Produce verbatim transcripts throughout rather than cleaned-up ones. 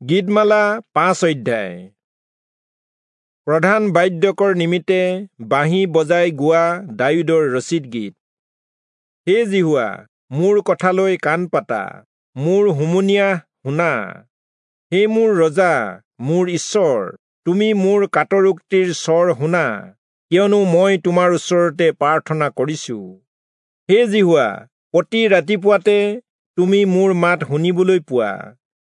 গীতমালা পাঁচ অধ্যায়। প্ৰধান বাদ্যকৰ নিমিত্তে বাঁহী বজাই গোৱা দায়ূদৰ ৰচিত গীত। হে যিহোৱা, মোৰ কথালৈ কাণ পাতা, মোৰ হুমুনিয়াহ শুনা। হে মোৰ ৰজা, মোৰ ঈশ্বৰ, তুমি মোৰ কাতৰোক্তিৰ স্বৰ শুনা, কিয়নো মই তোমাৰ ওচৰতে প্ৰাৰ্থনা কৰিছো। হে যিহোৱা, প্ৰতি ৰাতিপুৱাতে তুমি মোৰ মাত শুনিবলৈ পোৱা।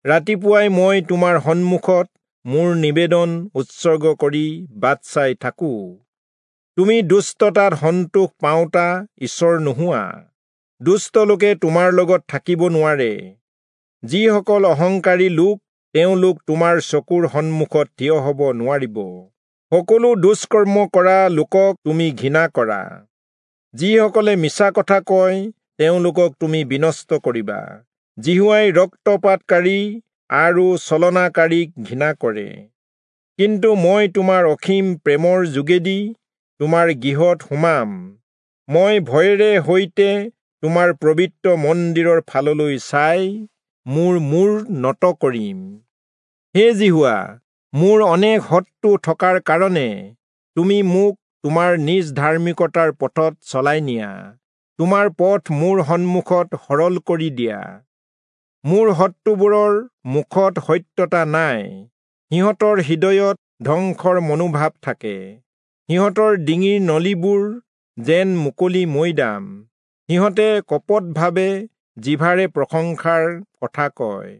ৰাতিপুৱাই মই তোমাৰ সন্মুখত মোৰ নিবেদন উৎসৰ্গ কৰি বাট চাই থাকো। তুমি দুষ্টতাত সন্তোষ পাওঁতা ঈশ্বৰ নোহোৱা। দুষ্ট লোকে তোমাৰ লগত থাকিব নোৱাৰে। যিসকল অহংকাৰী লোক, তেওঁলোক তোমাৰ চকুৰ সন্মুখত থিয় হ'ব নোৱাৰিব। সকলো দুষ্কৰ্ম কৰা লোকক তুমি ঘৃণা কৰা। যিসকলে মিছা কথা কয়, তেওঁলোকক তুমি বিনষ্ট কৰিবা। যিহোৱাই ৰক্তপাতকাৰী আৰু ছলনাকাৰীক ঘৃণা কৰে। কিন্তু মই তোমাৰ অসীম প্ৰেমৰ যোগেদি তোমাৰ গৃহত সোমাম। মই ভয়েৰে সৈতে তোমাৰ পবিত্ৰ মন্দিৰৰ ফাললৈ চাই মোৰ মূৰ নত কৰিম। হে যিহোৱা, মোৰ অনেক শত্ৰু থকাৰ কাৰণে তুমি মোক তোমাৰ নিজ ধাৰ্মিকতাৰ পথত চলাই নিয়া। তোমাৰ পথ মোৰ সন্মুখত সৰল কৰি দিয়া। মোৰ শত্ৰুবোৰৰ মুখত সত্যতা নাই, সিহঁতৰ হৃদয়ত ধ্বংসৰ মনোভাৱ থাকে। সিহঁতৰ ডিঙিৰ নলীবোৰ যেন মুকলি মৈদাম, সিহঁতে কপটভাৱে জিভাৰে প্ৰশংসাৰ কথা কয়।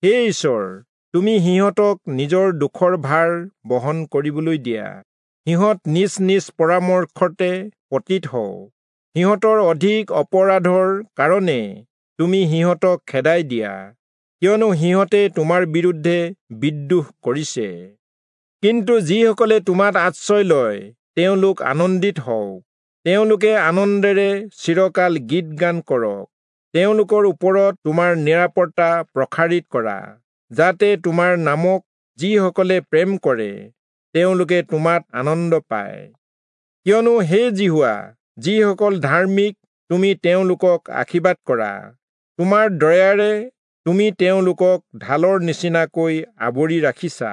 হে ঈশ্বৰ, তুমি সিহঁতক নিজৰ দুখৰ ভাৰ বহন কৰিবলৈ দিয়া। সিহঁত নিজ নিজ পৰামৰ্শতে পতিত হওক। সিহঁতৰ অধিক অপৰাধৰ কাৰণে তুমি সিহঁতক খেদাই দিয়া, কিয়নো সিহঁতে তোমাৰ বিৰুদ্ধে বিদ্ৰোহ কৰিছে। কিন্তু যিসকলে তোমাত আশ্ৰয় লয়, তেওঁলোক আনন্দিত হওক। তেওঁলোকে আনন্দেৰে চিৰকাল গীত গান কৰক। তেওঁলোকৰ ওপৰত তোমাৰ নিৰাপত্তা প্ৰসাৰিত কৰা, যাতে তোমাৰ নামক যিসকলে প্ৰেম কৰে, তেওঁলোকে তোমাত আনন্দ পায়। কিয়নো হে যিহোৱা, যিসকল ধাৰ্মিক, তুমি তেওঁলোকক আশীৰ্বাদ কৰা। তোমাৰ দয়াৰে তুমি তেওঁলোকক ঢালৰ নিচিনাকৈ আৱৰি ৰাখিছা।